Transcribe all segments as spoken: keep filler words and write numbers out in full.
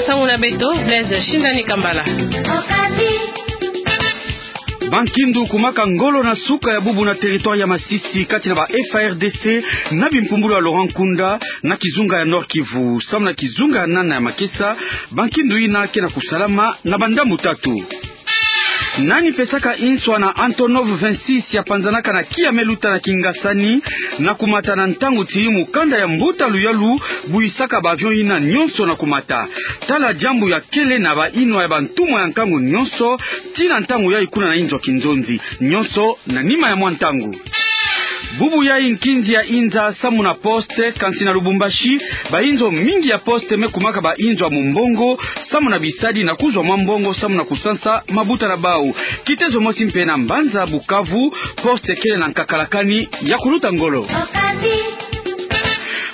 Sango na beto, Blaise Shindani Kambala. Bankindu kumaka ngolo na suka ya bubu na territoire ya Masisi kati na ba F A R D C na bimpumbulu ya Laurent Nkunda na kizunga ya Nord-Kivu. Samu na kizunga ya nana ya makesa, bankindu ina ke na kusalama na bandambu tatu. Nani pesaka inswa na Antonov vingt-six ya panzanaka na Kiameluta na Kingasani na kumata na ntangu ti mukanda ya mbuta luyalu buyisaka ba avion ina nyonso na kumata? Tala diambu ya kele na ba inwa ya bantumwa ya nkangu nyonso, tii na ntangu yayi kuna na inzo ya kinzonzi, nyonso na nima ya mwa ntangu. Bubu yayi nkinzi ya inza samu na poste, kansi na Lubumbashi, ba inzo mingi ya poste me kumaka ba inzo ya mumbongo, samu na bisadi na kuzwa mwa mbongo samu na kusansa mabuta na bau. Kitezo mosi mpe na mbanza Bukavu, poste kele na nkakalakani ya kuluta ngolo.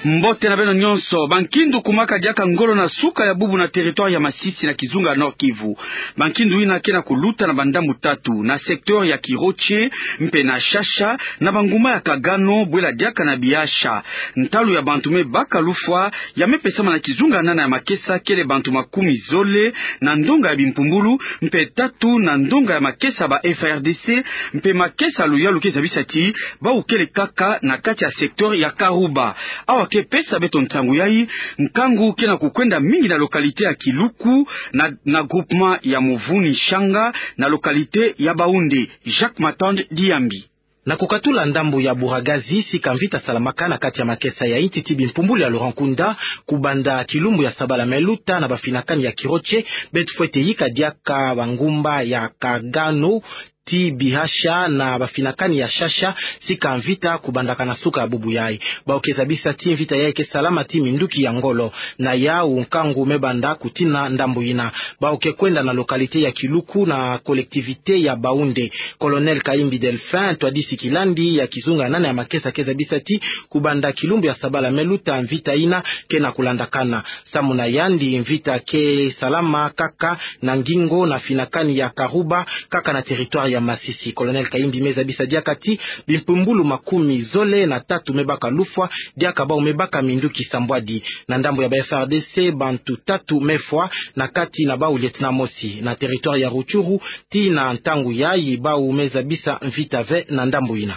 Mbote na beno nyonso. Bankindu kumaka diaka ngolo na suka ya bubu na territoire ya Masisi na kizunga ya Nord-Kivu. Bankindu ina ke na kuluta na bandambu tatu, na secteur ya Kiroche, mpe na Shasha, na banguma ya Kagano, bwela diaka na Bihasha. Ntalu ya bantu me baka lufwa ya me pesama na kizunga ya nana ya makesa kele bantu makumi zole na ndonga ya bimpumbulu, mpe tatu na ndonga ya makesa ba F A R D C, mpe makesa luyalu ke zabisa ti bau kele kaka na kati ya secteur ya Karuba. Awa ke pesa beto nsangu yayi, nkangu ke na kukwenda mingi na localité ya Kiluku, na, na groupement ya Muvuni Shanga, na localité ya Baoundé. Jacques Matand Diambi. Na kukatula ndambu ya Buragazi, sika mvita salamaka na kati ya makesa ya inti ti bimpumbulu ya Laurent Nkunda, kubanda kilumbu ya sabala me luta na bafinakani ya Kiroche, beto fwete yika diaka bangumba ya Kagano, tii Bihasha na bafinakani ya Shasha, sika mvita kubandaka na suka ya bubu yayi. Bau ke zabisa ti mvita yayi ke salama tii minduki ya ngolo. Na yau nkangu me banda kutina ndambu ina. Bau ke kwenda na localité ya Kiluku na collectivité ya Baoundé. Colonel Kayimbi Delphin, ntwadisi kilandi ya kizunga ya nana ya makesa, ke zabisa ti kubanda kilumbu ya sabala me luta mvita ina ke na kulandakana. Samu na yandi, mvita ke salama kaka na ngingo na finakani ya Karuba, kaka na territoire ya Masisi. Colonel Kayimbi me zabisa diaka ti bimpumbulu makumi zole na tatu me baka lufwa, diaka bau me baka minduki sambwadi. Na ndambu ya ba F A R D C, bantu tatu me fwa, na kati na bau lieutenant mosi. Na territoire ya Rutshuru, tii na ntangu yayi bau me zabisa mvita ve na ndambu ina.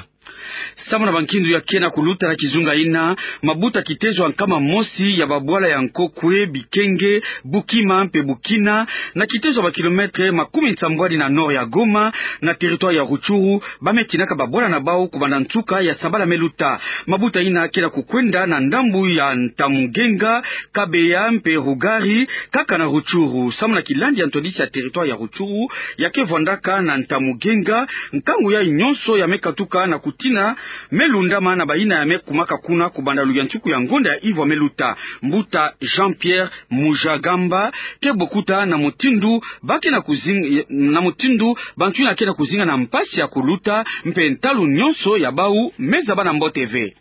Samu na bankindu ya ke na kuluta na kizunga ina, mabuta kitezo ya nkama mosi ya babwala ya Nkokwe, Bikenge, Bukima mpe Bukina, na kitezo ya ba kilomètre makumi nsambwadi na nord ya Goma, na territoire ya Rutshuru, ba me tinaka babwala na bau kubanda nsuka ya sabala me luta. Mabuta ina ke na kukwenda na ndambu ya Ntamugenga, Kabeya mpe Rugari, kaka na Rutshuru. Samu na kilandi ya ntwadisi ya territoire ya Rutshuru, ya ke vwandaka na Ntamugenga, nkangu yayi nyonso ya me katuka na kutina me lundama na bayina ya me kumaka kuna kubanda luyantiku ya ngonda ya ivwa me luta. Mbuta Jean-Pierre Mujagamba ke bokuta na mutindu ba ke na kuzing-, na mutindu bantu ina ke na kuzinga na mpasi ya kuluta, mpe ntalu nyonso ya bau me zaba na mbote ve.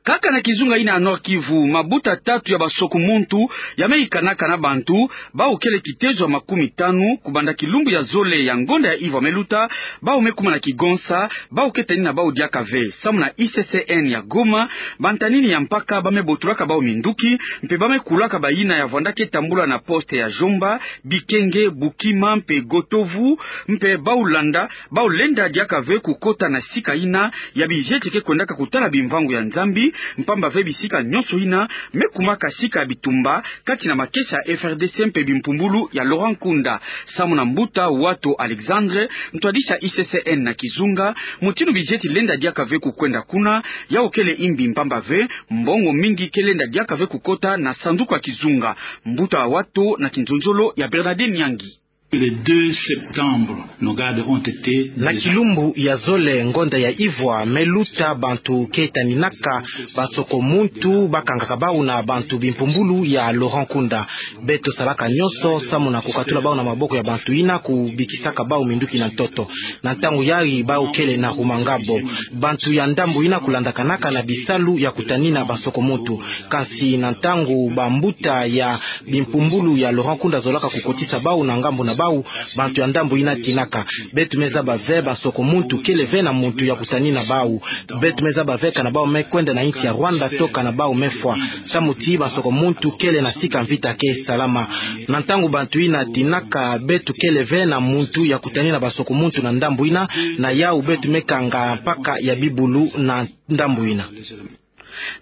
Kaka na kizunga ina ya Nord-Kivu, mabuta tatu ya basoko-muntu ya me yikanaka na bantu, bau kele kitezo ya makumi tanu, kubanda kilumbu ya zole ya ngonda ya ivwa me luta, bau me kuma na kigonsa, bau ke tani na bau diaka ve. Samu na I C C N ya Goma, bantanini ya mpaka ba me botulaka bau minduki, mpe ba me kulaka bayina ya vwanda ke tambula na poste ya Jomba, Bikenge, Bukima mpe Gotovu, mpe bau landa, bau lenda diaka ve kukota na sika ina ya bizieti ke kwendaka kutala bimvangu ya Nzambi, mpamba ve bisika nyonso ina me kumaka sika ya bitumba kati na makesa ya F R D C mpe bimpumbulu ya Laurent Nkunda. Samu na mbuta Wato Alexandre, ntwadisi ya I C C N na kizunga, mutindu bizieti lenda diaka ve kukwenda kuna, yau kele imbi, mpamba ve mbongo mingi ke lenda diaka ve kukota na sanduku ya kizunga. Mbuta Wato na kinzonzolo ya Bernadette Nyangi. Le deux septembre, nos gardes ont été... Na kilumbu ya zole ngonda ya ivwa me luta, bantu ke taninaka basoko-muntu ba kangaka bau na bantu bimpumbulu ya Laurent Nkunda. Beto salaka nyonso samu na kukatula bau na maboko ya bantu ina kubikisaka bau minduki na ntoto. Na ntangu yayi bau kele na Rumangabo. Bantu ya ndambu ina kulandakanaka na bisalu ya kutanina basoko-muntu. Kansi na ntangu bambuta ya bimpumbulu ya Laurent Nkunda zolaka kukotisa bau na ngambu na bau, bantu ya ndambu yina tinaka. Beto me zaba ve bansoko muntu kele ve na muntu ya kutanina bau. Beto me zaba ve kana bau me kwenda na insi ya Rwanda to kana bau me fwa. Samu ti bansoko muntu kele na sika mvita ke salama. Na ntangu bantu yina tinaka, beto kele ve na muntu ya kutanina bansoko muntu na ndambu yina, na yau beto me kanga mpaka ya bibulu na ndambu yina.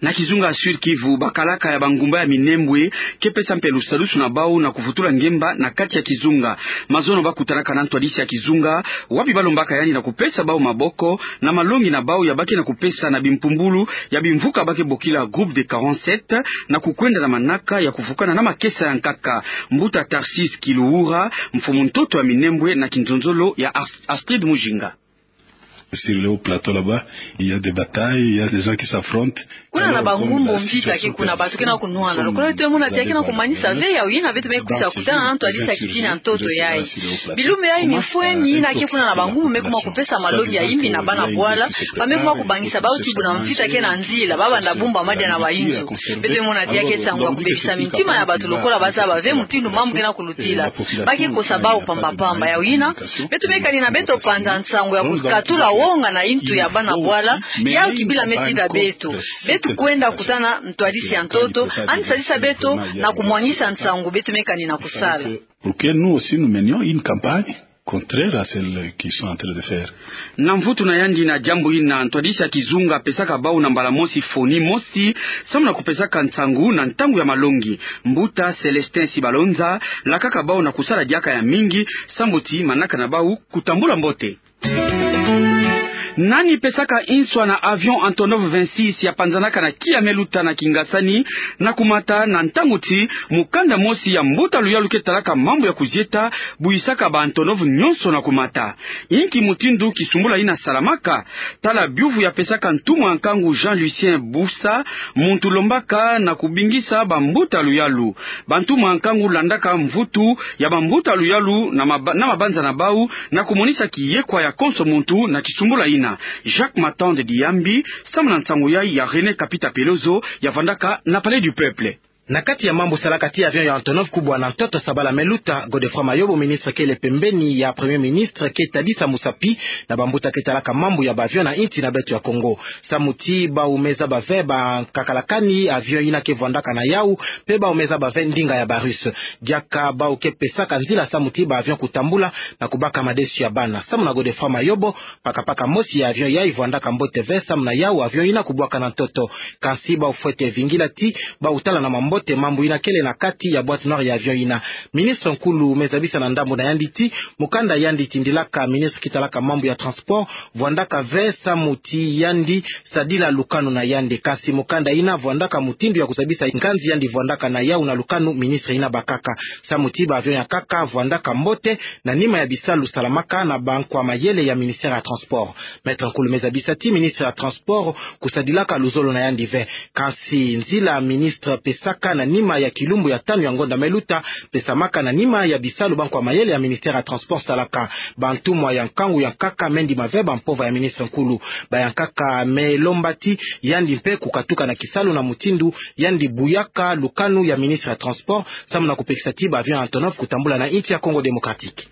Na kizunga Sud-Kivu, bakalaka ya bangumba ya Minembwe ke pesa mpe lusadusu na bau na kuvutula ngemba na kati ya kizunga. Mazono ba kutanaka na ntwadisi ya kizunga, wapi ba lombaka yandi na kupesa bau maboko na malongi na bau ya ba ke na kupesa na bimpumbulu ya bimvuka ba ke bokila Groupe des quarante-sept, na kukwenda na manaka ya kuvukana na makesa ya nkaka. Mbuta Tarcisse Kiluhura, mfumu ntoto ya Minembwe, na kinzonzolo ya Ast-, Astrid Mujinga. Sur le haut plateau là-bas, il y a des batailles, il y a des gens qui s'affrontent. Kuna na bangumbu, mvita ke kuna, bato ke na kunwana. Lokola beto me mona ti ya ke na kumanisa ve yawu yina, beto me kwisa kutana na ntwadisi ya kitini ya ntoto yayi. Bilumbu yayi mifweni yina ke kuna na bangumbu me kuma kupesa malongi ya imbi na bana bwala, ba me kuma kubangisa bau ti buna mvita ke na nzila, ba banda bumba madia na bayinzo. Beto me mona ti ya ke nsangu ya kubebisa mintima ya bato lokola ba zaba ve mutindu mambu ke na kulutila. Ba ke kosa bau pamba pamba. Yawu yina, beto me kani na beto panza nsangu ya kukatula wonga na intu ya bana bwala, yawu kibila me tinda beto. Beto kwenda kutana ntwadisi ya ntoto, yandi sadisa beto na kumwangisa nsangu beto me kani na kusala. Pour que nous aussi nous menions une campagne contraire à celle qu'ils sont en train de faire. Na mvutu na yandi na diambu yina, ntwadisi ya kizunga pesaka bau na mbala mosi foni mosi, samu na kupesaka nsangu na ntangu ya malongi. Mbuta Célestin Sibalonza lakaka bau na kusala diaka ya mingi, samu ti manaka na bau kutambula mbote. Nani pesaka nswa na avion Antonov vingt-six ya panzanaka na Kiameluta na Kingasani na kumata na ntangu ti mukanda mosi ya mbuta luyalu ke talaka mambu ya kuzieta, buyisaka ba Antonov nyonso na kumata? Inki mutindu kisumbula yina salamaka? Tala biuvu ya pesaka ntumwa ya nkangu Jean Lucien Busa, muntu lombaka na kubingisa bambuta luyalu. Bantumwa ya nkangu landaka mvutu ya bambuta luyalu na maba-, na mabanza na bau, na kumonisa kiyekwa ya konso muntu na kisumbula yina. Jacques Matande Diambi, samu na nsangu yayi ya René Kapita Pelozo, ya vandaka na Palais du Peuple. Na kati ya mambu salaka ti avion ya Antonov kubwa na ntoto sabala me luta, Godefroid Mayobo, ministre kele pembeni ya Premier Ministre, ke tadisa musapi na bambuta ke talaka mambu ya ba avion na insi na beto ya Kongo. Samu ti bau me zaba ve ba nkaka lakani avion yina ke vwandaka na yau, mpe bau me zaba ve ndinga ya ba Russe. Diaka bau ke pesaka nzila samu ti ba avion kutambula na kubaka madesu ya bana. Samu na Godefroid Mayobo, pakapaka mosi ya avion yayi vwandaka mbote ve, samu na yau avion yina kubwaka na ntoto. Kansi bau fwete vingila ti bau tala na mambote mambu yina kele na kati ya boîte noire ya avion yina. Ministre nkulu me zabisa na ndambu na yandi ti mukanda yandi tindilaka ministre ke talaka mambu ya transport vwandaka ve, samu ti yandi sadila lukanu na yandi. Kansi mukanda yina vwandaka mutindu ya kuzabisa nganzi yandi vwandaka na yau na lukanu ministre yina bakaka. Samu ti ba avion ya nkaka vwandaka mbote na nima ya bisalu salamaka na bankwa mayele ya ministère ya transport. Maître nkulu me zabisa ti ministre ya transport kusadilaka luzolo na yandi ve. Kansi nzila ministre pesaka na nima ya kilumbu ya tanu ya ngonda me luta, pesamaka na nima ya bisalu bankwa mayele ya ministère ya transport salaka. Bantumwa ya nkangu ya nkaka me ndima ve bampova ya ministre nkulu. Ba ya nkaka me lomba ti yandi mpe kukatuka na kisalu na mutindu yandi buyaka lukanu ya ministre ya transport, samu na kupekisa ti ba avion Antonov kutambula na insi ya Congo Démocratique.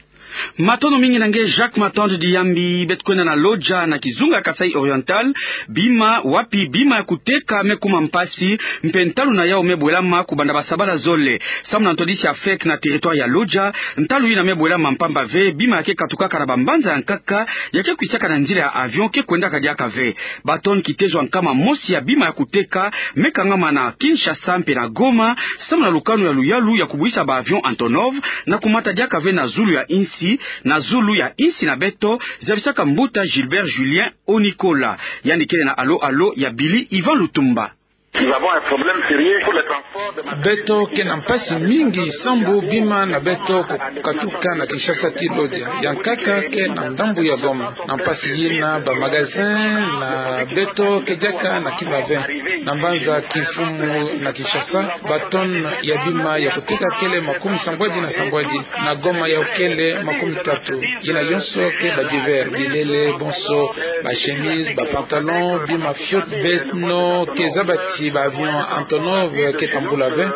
Matondo mingi na nge Jacques Matande Diambi. Beto kwenda na Lodja na kizunga Kasaï Oriental, bima wapi bima ya kuteka me kuma mpasi, mpe ntalu na yau me bwelama kubanda basabala zole. Samu na ntwadisi ya fek na territoire ya Lodja, ntalu yina me bwelama mpamba ve, bima ya ke katukaka na bambanza ya nkaka ya ke kwisaka na nzila ya avion ke kwendaka diaka ve. Ba tonne kitezo ya nkama mosi ya bima ya kuteka me kangama na Kinshasa mpe na Goma, samu na lukanu ya luyalu ya kubwisa ba avion Antonov na kumata diaka ve na zulu ya insi, na zulu ya insi na beto, zabisaka mbuta Gilbert Julien Onikola. Yandi kele na alo-alo ya Billy Ivan Lutumba. Nous avons un problème sérieux pour le transport de marchandises. Beto ke na mpasi mingi sambu bima na beto kukatuka na Kinshasa ti Lodja. Ya nkaka ke na ndambu ya Goma. Na mpasi yina ba magasin na beto ke diaka na kima ve. Na mbanza kimfumu na Kinshasa, ba tonne ya bima ya kuteka kele makumi sambwadi na sambwadi. Na Goma yau kele makumi tatu. Yina yonso ke ba divers, bilele bonso, ba chemise, ba pantalon, bima fioti beno ke zaba ti Ba avion Antonov ke tambula ve,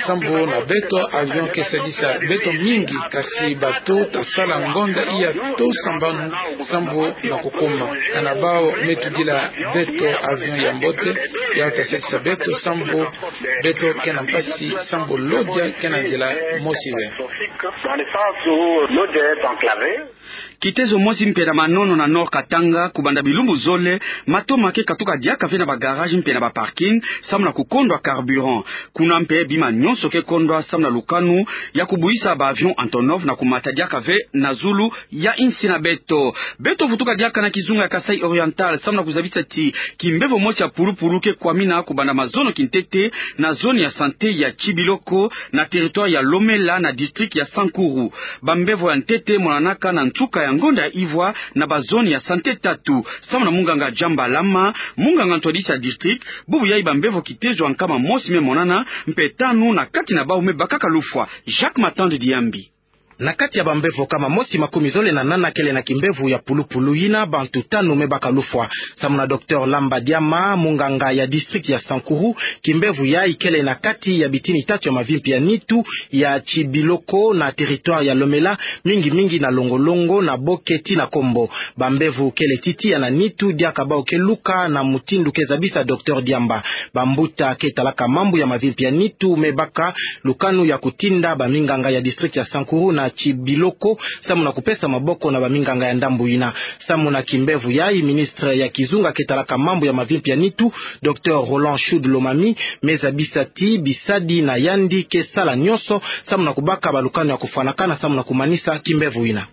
sambu na beto avion ke sadisa beto mingi, kasi bato ta sala ngonda iya to sambanu, sambu na kukoma. Kana bau me tudila beto avion ya mbote, ya ta sadisa beto, sambu beto ke na mpasi, sambu lodia ke na nzila mosi ve. Kitezo mosi mpe na Manono na Nord Katanga, kubanda bilumbu zole, matoma ke katuka diaka ve na ba garage mpe na ba parking, samu na kukondwa carburant. Kuna mpe bima nyonso ke kondwa samu na lukanu ya kubuisa ba avion Antonov na kumata diaka ve na zulu ya insi na beto. Beto vutuka diaka na kizunga ya Kasaï Oriental, samu na kuzabisa ti kimbevo mosi ya pulupulu ke kwamina kubanda mazono kintete na zone ya santé ya Tshibiloko, na territoire ya Lomela, na district ya Sankuru. Bambevo ya ntete monanaka na nsuka ya ngonda ya ivwa na ba zone ya santé tatu. Samu na munganga Jamba Lama, munganga ntwadisi ya district, bubu yayi bambevo kitezo ya nkama mosi me monana, mpe tanu na kati na bau me bakaka lufwa. Jacques Matande Diambi. Na kati ya bambevo nkama mosi makumi zole na nana kele na kimbevo ya pulupulu, yina bantu tanu me baka lufwa. Samu na docteur Lamba Diama, munganga ya district ya Sankuru, kimbevo yayi kele na kati ya bitini tatu ya mavimpi ya nitu ya Tshibiloko na territoire ya Lomela, mingi mingi na Longolongo, na Boke tii na Kombo. Bambevo kele ti tiya na nitu diaka bau ke luka, na mutindu ke zabisa docteur Diamba. Bambuta ke talaka mambu ya mavimpi ya nitu me baka lukanu ya kutinda baminganga ya district ya Sankuru na Tshibiloko, samu na kupesa maboko na baminganga ya ndambu yina. Samu na kimbevo yayi, ministre ya kizunga ke talaka mambu ya mavimpi ya nitu, docteur Roland Chaude Lomami, me zabisa ti bisadi na yandi ke sala nyonso samu na kubaka balukanu ya kufwanakana samu na kumanisa kimbevo yina.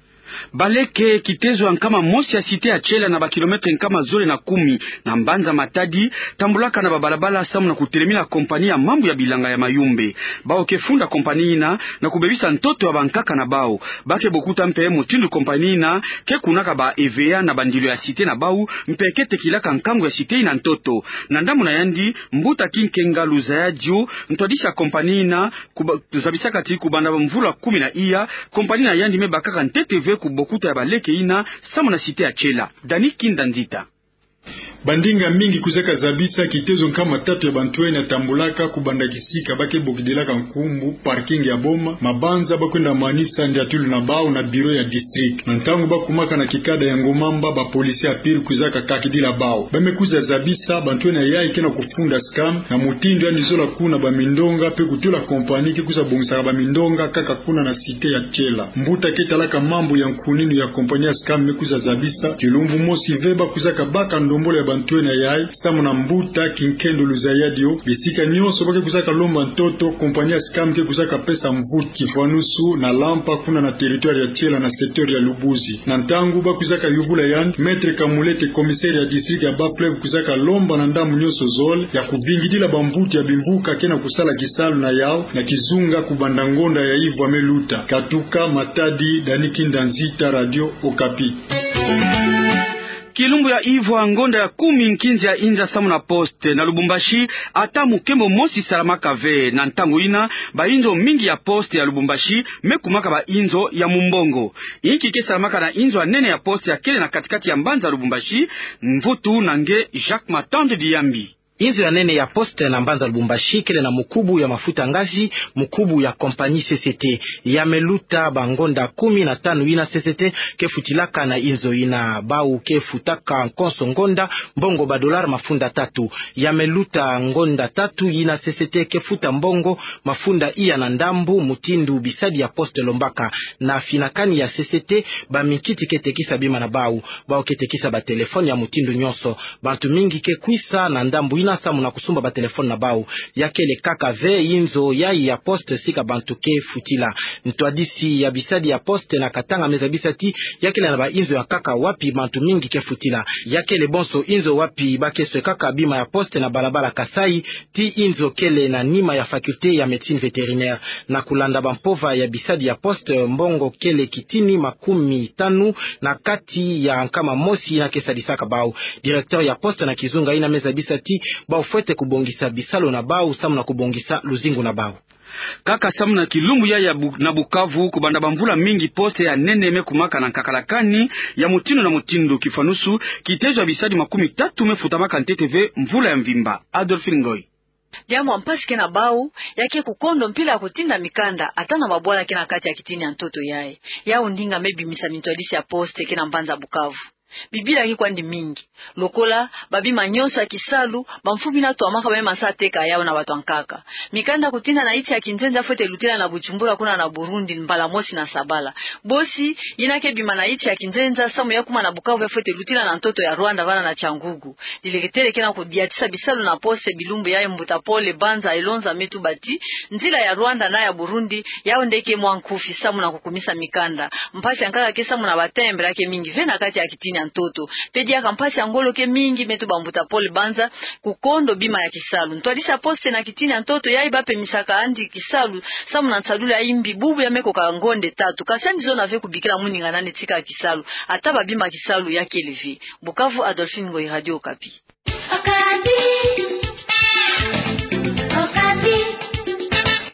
Baleke, kitezo ya nkama mosi ya cité ya Tshiela, na ba kilomètre nkama zole na kumi na mbanza Matadi, tambulaka na babalabala samu na kutelemina compagnie ya mambu ya bilanga ya Mayumbe. Bau ke funda compagnie yina na kubebisa ntoto ya bankaka na bau. Ba ke bokuta mpe mutindu compagnie yina ke kunaka ba EVA na bandilu ya cité na bau, mpe ke tekilaka nkangu ya cité yina ntoto. Na ndambu na yandi, mbuta Kinkenga Luzayadio, ntwadisi ya compagnie yina, kuba-, zabisaka ti kubanda bamvula kumi na iya, compagnie na yandi me bakaka ntete ve ku bokuta ya baleke yina samu na cité ya Tshiela. Dani Kinda Nzita. Bandinga mingi kwizaka zabisa kitezo nkama tatu ya bantwenya tambulaka kubanda kisika ba ke bokidilaka nkumbu parking ya boma, mabanza ba kwenda manisa ndiatulu na bau na bureau ya district. Na ntangu ba kumaka na kikada ya Ngomamba, ba policiers ya pile kwizaka kakidila bau. Ba me kwiza zabisa bantwenya yayi ke na kufunda SCAM, na mutindu yandi zola kuna bamindonga, mpe kutula compagnie ke kwiza bongisaka bamindonga kaka kuna na cité ya Tshiela. Mbuta ke talaka mambu ya nkuninu ya compagnie ya SCAM me kwiza zabisa, kilumbu mosi ve ba kwizaka baka ndombolo ya bantwenya yayi, samu na mbuta Kinkendo Luzayadio, bisika nyonso ba ke kwizaka lomba ntoto, compagnie ya SCAM ke kwizaka pesa mvutu, kifwanusu na Lampa kuna na territoire ya Tshiela na secteur ya Lubuzi. Na ntangu ba kwizaka yubula yandi, Maître Kamulete, commissaire ya district ya Bas-Fleuve, kwizaka lomba na ndambu nyonso zole ya kuvingidila bamvutu ya bimvuka ke na kusala kisalu na yau na kizunga kubanda ngonda ya ivwa me luta. Katuka Matadi, Dani Kinda Nzita, Radio Okapi. Kilumbu ya ivwa ngonda ya kumi, nkinzi ya inza samu na poste na Lubumbashi, ata mukembo mosi salamaka ve. Na ntangu yina, bainzo mingi ya poste ya Lubumbashi me kumaka bainzo ya mumbongo. Inki ke salamaka na inzo ya nene ya poste ya kele na kati-kati ya mbanza Lubumbashi? Mvutu na nge Jacques Matande Diambi. Inzo ya nene ya poste na mbanza Lubumbashi kele na mukubu ya mafuta ngazi, mukubu ya compagnie C C T. Ya me luta bangonda kumi na tanu yina C C T ke futilaka na inzo yina. Bau ke futaka konso ngonda mbongo ba dollars mafunda tatu. Ya me luta ngonda tatu yina C C T ke futa mbongo mafunda iya na ndambu, mutindu bisadi ya poste lombaka. Na finakani ya C C T, baminkiti ke tekisa bima na bau. Bau ke tekisa batelefone ya mutindu nyonso. Bantu mingi ke kwisa na ndambu yina samu na kusumba batelefone na bau. Ya kele kaka ve inzo yayi ya poste sika bantu ke futila. Ntwadisi ya bisadi ya poste na Katanga me zabisa ti ya kele na bainzo ya nkaka wapi bantu mingi ke futila. Ya kele bonso inzo wapi ba ke swekaka bima ya poste na balabala Kasaï, tii inzo kele na nima ya faculté ya médecine vétérinaire. Na kulanda bampova ya bisadi ya poste, mbongo kele kitini makumi tanu na kati ya nkama mosi yina ke sadisaka bau. Directeur ya poste na kizunga yina me zabisa ti bau fwete kubongisa bisalu na bau samu na kubongisa luzingu na bau. Kaka samu na kilumbu yayi ya Bu-, na Bukavu, kubanda bamvula mingi poste ya nene me kumaka na nkakalakani ya mutindu na mutindu, kifwanusu kitezo ya bisadi makumi tatu me futamaka ntete ve mvula ya mvimba. Adolphine Ngoy. Diambu ya mpasi ke na bau, ya ke kukondo mpila ya kutinda mikanda ata na babwala ke na kati ya kitini ya ntoto yayi. Yau ndinga me bimisa mintwadisi ya poste ke na mbanza Bukavu. Bibila ke kwandi mingi. Lokola babima nyonso ya kisalu, bamfumu bina twamaka bamema sa teka yau na bato ya nkaka. Mikanda ya kutinda na nsi ya kinzenza fwete lutila na Bujumbura kuna na Burundi mbala mosi na sabala. Bosi, yina ke bima na nsi ya kinzenza samu ya kuma na Bukavu ya fwete lutila na ntoto ya Rwanda vana na Cyangugu. Dileketele ke na kudiatisa bisalu na poste bilumbu yayi, mbuta Paul Banza Elonza me tuba ti, nzila ya Rwanda na ya Burundi, yau nde ke mwa nkufi samu na kukumisa mikanda. Mpasi ya nkaka ke samu na ba timbre ya ke mingi ve na kati ya kitini ya ntoto. Pe diaka mpasi ya ngolo ke mingi, me tuba mbuta Paul Banza, kukondo bima ya kisalu. Ntwadisi ya poste na kitini ya ntoto yayi bapemisaka andi kisalu samu na nsalulu ya imbi bubu ya me koka ngonde tatu. Kasi andi zona ve kubikila muninga nani tika kisalu. Ata babima kisalu ya kele ve. Bukavu, Adolphine Ngoyi, Radio Okapi.